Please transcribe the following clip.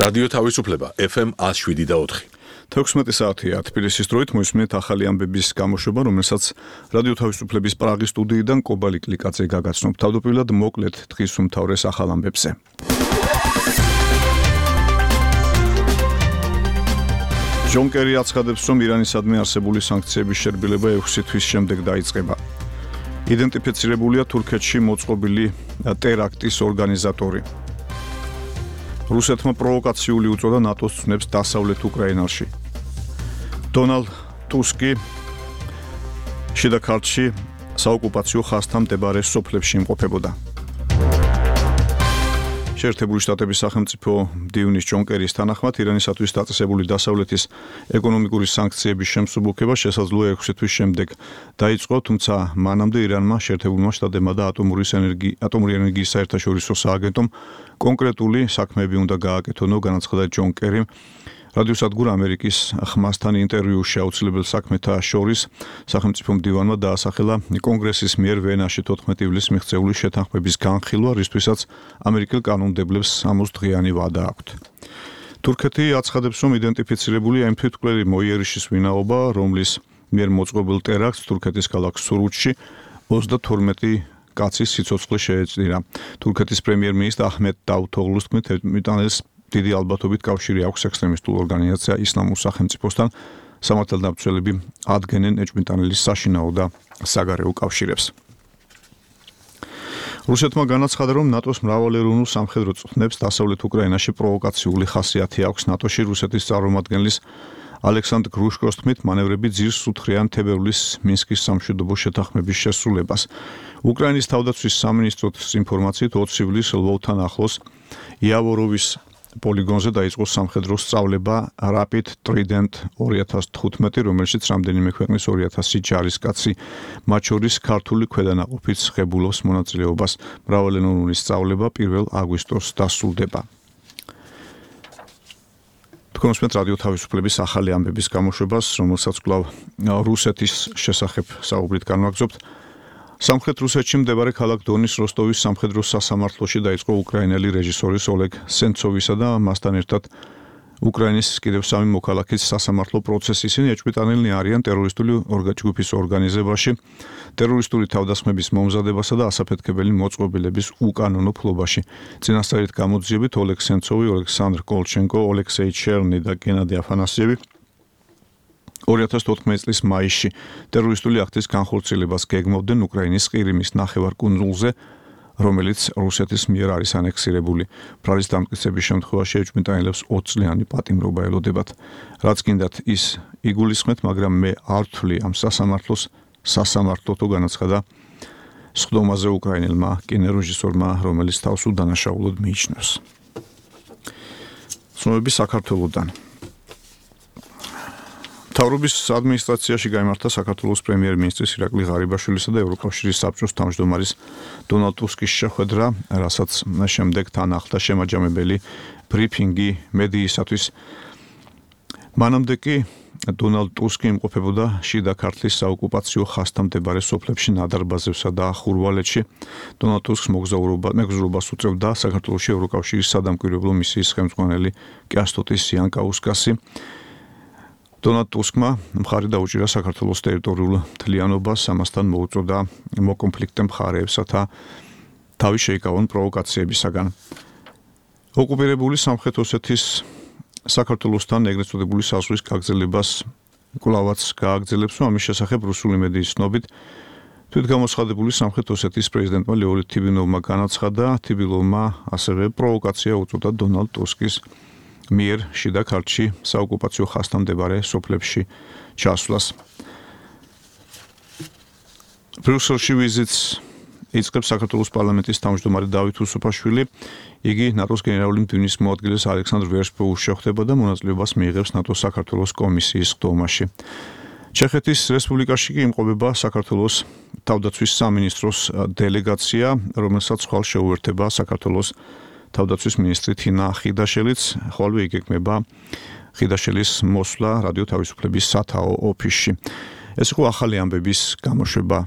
რადიო თავისუფლება FM 107.4. 16 საათია თბილისის დროით მოისმენთ ახალი ამბების გამოშვება, რომელსაც რადიო თავისუფლების პრაღის სტუდიიდან კობალი კლიკაძე გაგაცნობ. თავდაპირველად მოკლედ დღის უმთავრეს ახალ ამბებზე. ჯონ კერი აცხადებს, რომ ირანისადმი არსებული სანქციების შერბილება 6 თვის შემდეგ დაიწყება. იდენტიფიცირებულია თურქეთში მოწყობილი ტერაქტის ორგანიზატორი. რუსეთმა პროვოკაციული უწოდა ნატოს ცნებს დასავლეთ უკრაინაში. დონალდ ტუსკი შიდა ქართლში საოკუპაციო ხაზთან მდებარე სოფლებში იმყოფებოდა. შეერთებული შტატების სახელმწიფო მდივნის ჯონ კერის თანახმად ირანისათვის დაწესებული დასავლეთის ეკონომიკური სანქციების შემსუბუქება შესაძლოა 6 თვის შემდეგ დაიწყო, თუმცა მანამდე ირანმა, შეერთებულმა შტატებმა და ატომური ენერგიის საერთაშორისო სააგენტომ კონკრეტული საქმეები უნდა გააკეთონო, განაცხადა ჯონ კერიმ რადიოსადგურ ამერიკის ხმასთან ინტერვიუში. აუცილებელ საქმეთა შორის სახელმწიფო მდივანმა დაასახელა კონგრესის მიერ ვენაში 14 ივლისს მიღწეული შეთანხმების განხილვა, რისთვისაც ამერიკელ კანონმდებლებს 60 დღიანი ვადა აქვთ. თურქეთი აცხადებს, რომ იდენტიფიცირებულია იმ თვითმკვლელი მოიერიშის ვინაობა, რომლის მიერ მოწყობილ ტერაქტს თურქეთის ქალაქ სურუჩში 32 კაცის სიცოცხლე შეეწირა. თურქეთის პრემიერ-მინისტრ აჰმედ დავუთოღლუს თქმით, ბრიტანელს დიდი ალბათობით კავშირი აქვს ექსტრემისტულ ორგანიზაცია ისლამურ სახელმწიფოსთან, სამართალდამცველები ადგენენ ეჭვმიტანილის საშინაო და საგარეო კავშირებს. რუსეთმა განაცხადა, რომ ნატოს მრავალეროვნულ სამხედრო წვრთნებს დასავლეთ უკრაინაში პროვოკაციული ხასიათი აქვს. ნატოში რუსეთის წარმომადგენლის ალექსანდრ გრუშკოს თქმით, მანევრები ძირს უთხრიან თებერვლის მინსკის სამშვიდობო შეთანხმების შესრულებას. უკრაინის თავდაცვის სამინისტროს ინფორმაციით 20 ივლისს ლვოვთან ახლოს იავოროვის პოლიგონზე დაიწყო სამხედრო სწავლება Rapid Trident 2015, რომელშიც რამდენიმე ქვეყნის 2000 ჯარისკაცი, მათ შორის ქართული ქვედანაყოფიც ღებულობს მონაწილეობას. მრავალენოვნური სწავლება 1 აგვისტოს დასრულდება. თქვენსმენთ რადიო თავისუფლების ახალი ამბების გამოშვებას, რომელსაც კვლავ რუსეთის შესახებ საუბრით განვაგრძობთ. სამხრეთ რუსეთში მდებარე ქალაქ დონის როსტოვის სამხედრო სასამართლოში დაიწყო უკრაინელი რეჟისორის ოლეგ სენცოვისა და მასთან ერთად უკრაინის კიდევ 3 მოქალაქის სასამართლო პროცესი. ისინი ეჭვმიტანილნი არიან ტერორისტული ჯგუფის ორგანიზებაში, ტერორისტული თავდასხმების მომზადებასა და ასაფეთქებელი მოწყობილების უკანონო ფლობაში. წინასწარით გამოძიებით ოლეგ სენცოვი, ოლექსანდრ კოლჩენკო, ოლექსეი ჩერნი და გენადი აფანასიევი 2014 წლის მაისში ტერორისტული აქტის განხორციელებას გეგმავდნენ უკრაინის ყირიმის ნახევარკუნძულზე, რომელიც რუსეთის მიერ არის ანექსირებული. ბრალის დამტკიცების შემთხვევაში ეჭვმიტანილებს 20 წლიანი პატიმრობა ელოდებათ. რაც გინდათ ის იგულისხმეთ, მაგრამ მე არ ვთვლი ამ სასამართლოს სასამართლოთო, განაცხადა სხდომაზე უკრაინელმა კინორეჟისორმა, რომელიც თავს უდანაშაულოდ მიიჩნევს. ცნობები საქართველოდან. მთავრობის ადმინისტრაციაში გაიმართა საქართველოს პრემიერ-მინისტრის ირაკლი ღარიბაშვილისა და ევროკავშირის საბჭოს თავმჯდომარის დონალდ ტუსკის შეხვედრა, რასაც შემდეგ თან ახლდა შემაჯამებელი ბრიფინგი მედიისათვის. მანამდე კი დონალდ ტუსკი იმყოფებოდა შიდა ქართლის საოკუპაციო ხაზთან მდებარე სოფლებში ნადარბაზევსა და ხურვალეთში. დონალდ ტუსკს მეგზურობას უწევდა საქართველოში ევროკავშირის სადამკვირვებლო მისიის ხელმძღვანელი კეასტოტის სიანკაუსკასი. დონალდ ტუსკმა მხარი დაუჭირა საქართველოს ტერიტორიულ მთლიანობას, ამასთან მოუწოდა მოკონფლიქტე მხარეებსათა თავი შეიკავონ პროვოკაციებისაგან. ოკუპირებული სამხრეთ ოსეთის საქართველოსთან ეგრეთ წოდებული საზღვრის გაგრძელებას კვლავაც გააგრძელებს, ამის შესახებ რუსული მედიის ცნობით თვითგამოცხადებული სამხრეთ ოსეთის პრეზიდენტმა ლეონიდ თიბინოვმა განაცხადა, თიბინოვმა ასევე პროვოკაცია უწოდა დონალდ ტუსკის მიერ შიდა ქართლში საოკუპაციო ხაზთან მდებარე სოფლებში ჩასვლას. ბრიუსელში ვიზიტს იწყებს საქართველოს პარლამენტის თავმჯდომარე დავით უსუფაშვილი. იგი ნატოს გენერალური მდივნის მოადგილეს ალექსანდრ ვერშბოუს შეხვდება და მონაწილეობას მიიღებს ნატოს საქართველოს კომისიის ხდომაში. ჩეხეთის რესპუბლიკაში კი იმყოფება საქართველოს თავდაცვის სამინისტროს დელეგაცია, რომელსაც ხვალ შეუერთება საქართველოს თავდაცვის მინისტრი თინა ხიდაშელიც, ხოლმე იგეგმება ხიდაშელის მოსვლა რადიო თავისუფლების სათაო ოფისში. ეს იყო ახალი ამბების გამოშვება.